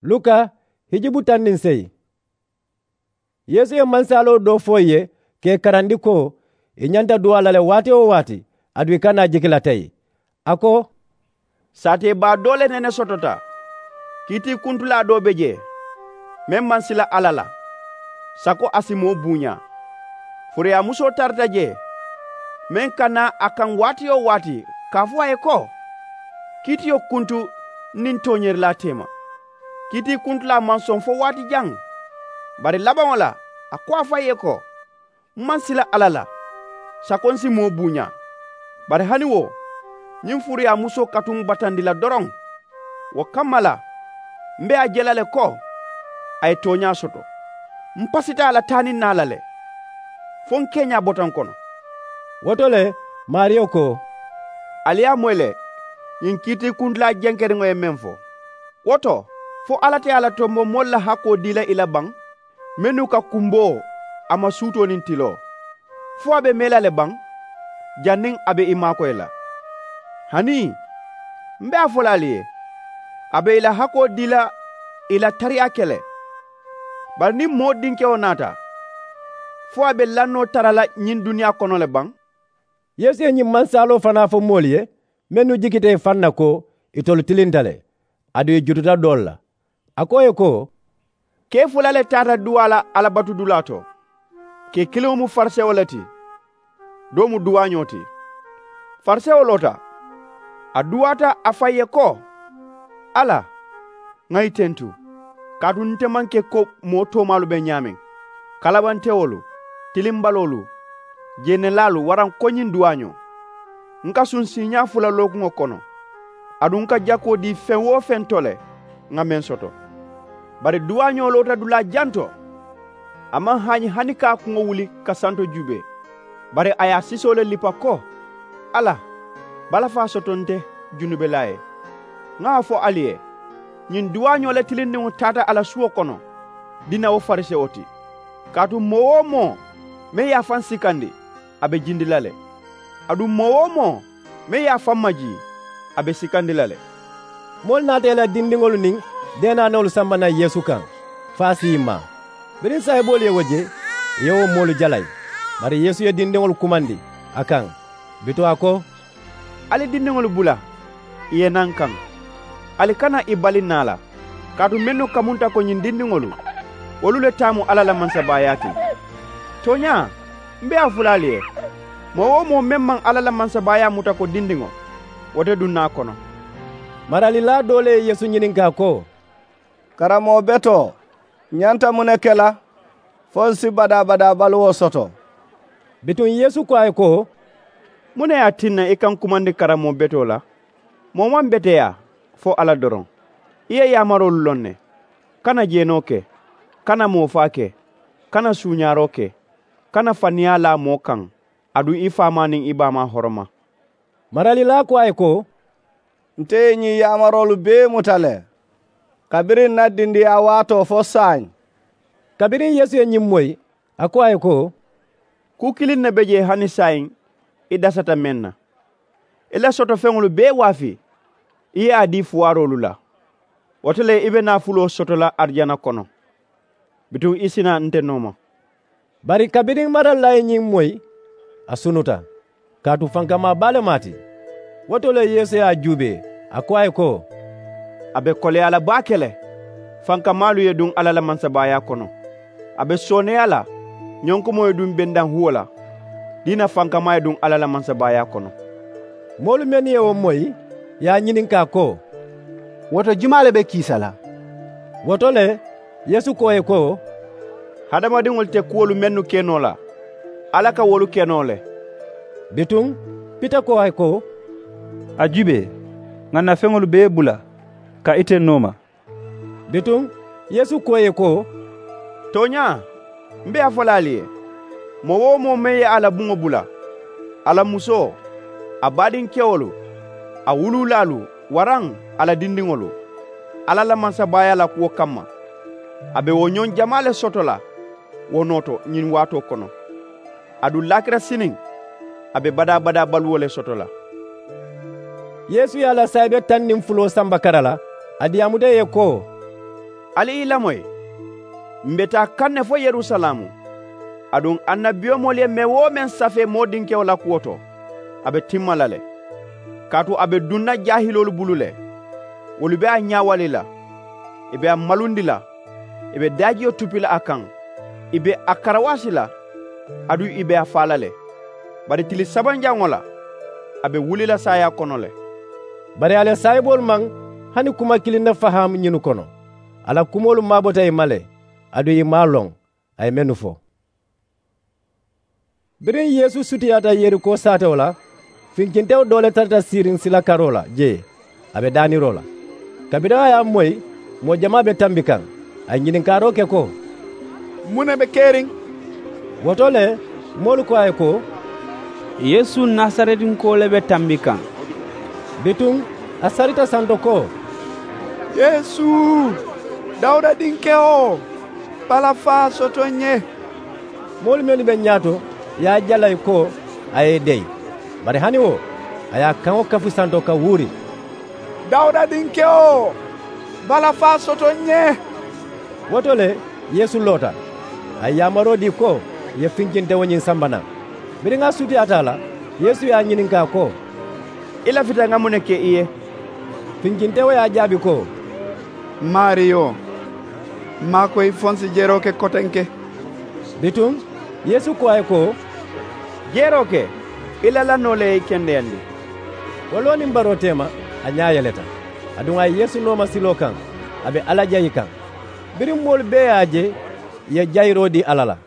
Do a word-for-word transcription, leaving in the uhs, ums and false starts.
Luka hijubu taŋ niŋ seyi. Yeesu ye mansaaloo doo fo ì ye ka ì karandi ko ì ñanta duwaa la le waati-wo-waati, aduŋ ì kana jiki la teyi. A ko, saatee baa doo le nene sotota. Kiitii kuntulaa doo be jee, meŋ maŋ sila alla la, sako a si moo buuñaa. Furuyaamusoo tarata jee, meŋ ka naa a kaŋ waati-wo-waati ka a fo a ye ko, kiitiyo kuntu n niŋ tooñeerilaa teema. Kiitii kuntulaa maŋ soŋ fo waati jaŋ. Bari labaŋo la a ko a faŋ ye ko, m maŋ sila alla la, sako n si moo buuñaa. Bari hani wo, ñiŋ furuyaamusoo ka tuŋ batandi la doroŋ. Wo kamma la, m be a je la le ko a ye tooñaa soto. M pasita a la taa niŋ naa la le, fo n keeñaa bota n kono. Wo to le, maariyo ko, ali ye a moyi le, ñiŋ kiitii kuntulaa jenkeriŋo ye meŋ fo. Wo to, fo alla te a la tombo moolu la hakkoo dii la ì la baŋ, mennu ka kumboo a ma suutoo niŋ tiloo? Fo a be mee la le baŋ, janniŋ a be ì maakoyi la? Hanii, m be a fo la ali ye, a be ì la hakkoo dii la ì la tariyaa ke le. Bari niŋ moo dinkewo naata, fo a be lannoo tara la ñiŋ duniyaa kono le baŋ? Yeesu ye ñiŋ mansaaloo fanaa fo moolu ye mennu jikita ì faŋ na ko, itolu tilinta le, aduŋ ì jututa doolu la. A ko ì ye ko, kee fula le taata duwaa la alabatudulaa to. Kee kiliŋo mu farisewo le ti, doo mu duwaañoo ti. Farisewo loota, a duwaata a faŋ ye ko, alla, ŋà ì tentu, kaatu nte maŋ ke ko moo toomaalu be ñaameŋ, kalabantewolu, tilimbaloolu, jeenelaalu waraŋ ko ñiŋ duwaañoo. N ka suŋ siiñaa fula lookuŋo kono, aduŋ n ka jakoo dii feŋ-wo-feŋ to le, ŋà meŋ soto. Bari duwaañoo loota dulaa jaŋ to, a maŋ haañi hani ka a kuŋo wuli ka santo juubee. Bari a ye a sisoo le lipa ko, alla, balafaa soto nte, junubelaa ye. Ŋà a fo ali ye, ñiŋ duwaañoo le tilindiŋo taata a la suwo kono, dina wo farisewo ti. Kaatu moo-wo-moo meŋ ye a faŋ sikandi, a be jindi la le. Aduŋ moo-wo-moo meŋ ye a faŋ majii, a be sikandi la le. Moolu naata ì la dindiŋolu niŋ deenaanoolu samba naŋ yeesu kaŋ, fo a si ì maa. Biriŋ saayiboolu ye wo je, ì ye wo moolu jalayi. Bari yeesu ye dindiŋolu kumandi a kaŋ. Bituŋ a ko, ali dindiŋolu bula ì ye naa n kaŋ. Ali kana ì bali naa la, kaatu mennu kamunta ko ñiŋ dindiŋolu, wolu le taa mu alla la mansabaayaa ti. Tooñaa, m be a fo la ali ye, moo-wo-moo meŋ maŋ alla la mansabaayaa muta ko dindiŋo, wo te duŋ naa kono. Maralilaa doo le ye yeesu ñininkaa ko, karamoo betoo, ǹ ñanta muŋ ne ke la fo ǹ si badaa-badaa baluwo soto? Bituŋ yeesu ko a ye ko, muŋ ne ye a tinna i ka ǹ kumandi karamoo betoo la? Moo maŋ beteyaa fo alla doroŋ. I ye yaamaroolu loŋ ne, kana jeenoo ke, kana moofaa ke, kana suuñaaroo ke, kana faniyaa laa moo kaŋ, aduŋ i faamaa niŋ i baamaa horoma. Maralilaa ko a ye ko, nte ye ñiŋ yaamaroolu bee muta le kabiriŋ ǹ na dindiyaa waatoo fo saayiŋ. Kabiriŋ yeesu ye ñiŋ moyi, a ko a ye ko, kuu kiliŋ ne be jee hani saayiŋ i dasata meŋ na. I la soto feŋolu bee waafii, i ye a dii fuwaaroolu la. Wo to le i be naafuloo soto la arijana kono. Bituŋ i si naa nte nooma. Bari kabiriŋ maralilaa ye ñiŋ moyi, a sunuta, kaatu fankamaa baa le mu a ti. Wo to le yeesu ye a juubee, a ko a ye ko, a be koleyaa la baake le, fankamaalu ye duŋ alla la mansabaayaa kono. A be sooneeyaa la, ñonkomoo ye duŋ bendaŋ huwo la, diina fankamaa ye duŋ alla la mansabaayaa kono. Moolu mennu ye wo moyi, ye a ñininkaa ko, wo to jumaa le be kiisa la? Wo to le, yeesu ko ì ye ko, hadamadiŋolu te kuwolu mennu ke noo la, alla ka wolu ke noo le. Bituŋ pita ko a ye ko, a juubee, ŋà ǹ na feŋolu bee bula ka ite nooma. Bituŋ yeesu ko ì ye ko, tooñaa, m be a fo la ali ye, moo-wo-moo meŋ ye a la buŋo bula, a la musoo, a baadinkewolu, a wuluulaalu, waraŋ a la dindiŋolu, alla la mansabaayaa la kuwo kamma, a be wo ñoŋ jamaa le soto la wo noo to ñiŋ waatoo kono. Aduŋ laakira siniŋ, a be badaa-badaa baluwo le soto la. Yeesu ye a la saayibe taŋ niŋ fuloo samba kara la, a diyaamuta ì ye ko, Ali i lamoyi, m be taa kaŋ ne fo yerusalaamu. Aduŋ annabiyomoolu ye meŋ-wo-meŋ safee moo dinkewo la kuwo to, a be timma la le. Kaatu a be duŋ na jaahiloolu bulu le. Wolu be a ñaawali la, ì be a malundi la, ì be daajiyo tupi la a kaŋ, ì be a karawaasi la, aduŋ ì be a faa la le. Bari tili sabanjaŋo la, a be wuli la saayaa kono le. Bari a la saayiboolu maŋ hani kuma kiliŋ ne faham ñinnu kono. A la kumoolu maabota ì ma le, aduŋ ì maŋ a loŋ a ye mennu fo. Biriŋ yeesu sutiyaata yeriko saatewo la, finkintewo doo le tarata siiriŋ sila karoo la jee, a be daaniroo la. Kabiriŋ a ye a moyi, moo jamaa be tambi kaŋ. A ye ñininkaaroo ke ko, muŋ ne be keriŋ? Wo to le, moolu ko a ye ko, yeesu nasaretinkoo le be tambi kaŋ. Bituŋ a sarita santo ko, yeesu, dawuda dinkewo, balafaa soto ǹ ye. Moolu mennu be ñaato ye a jalayi ko a ye ì deyi. Bari hani wo, a ye a kaŋo kafu santo ka wuuri, dawuda dinkewo, balafaa soto ǹ ye. Wo to le, yeesu loota, a ye yaamaroo dii ko ì ye finkintewo ñiŋ samba naŋ. Biriŋ a sutiyaata a la, yeesu ye a ñininkaa ko, i lafita ŋa muŋ ne ke i ye? Finkintewo ye a jaabi ko, maariyo, m maŋ a ko i fonsi jeroo ke kotenke. Bituŋ yeesu ko a ye ko, jeroo ke, i la lannoo le ye i kendeyandi. Wo loo niŋ baroo teema, a ñaa yeleta. Aduŋ a ye yeesu nooma siloo kaŋ, a be alla jayi kaŋ. Biriŋ moolu bee ye a je, ì ye jayiroo dii alla la.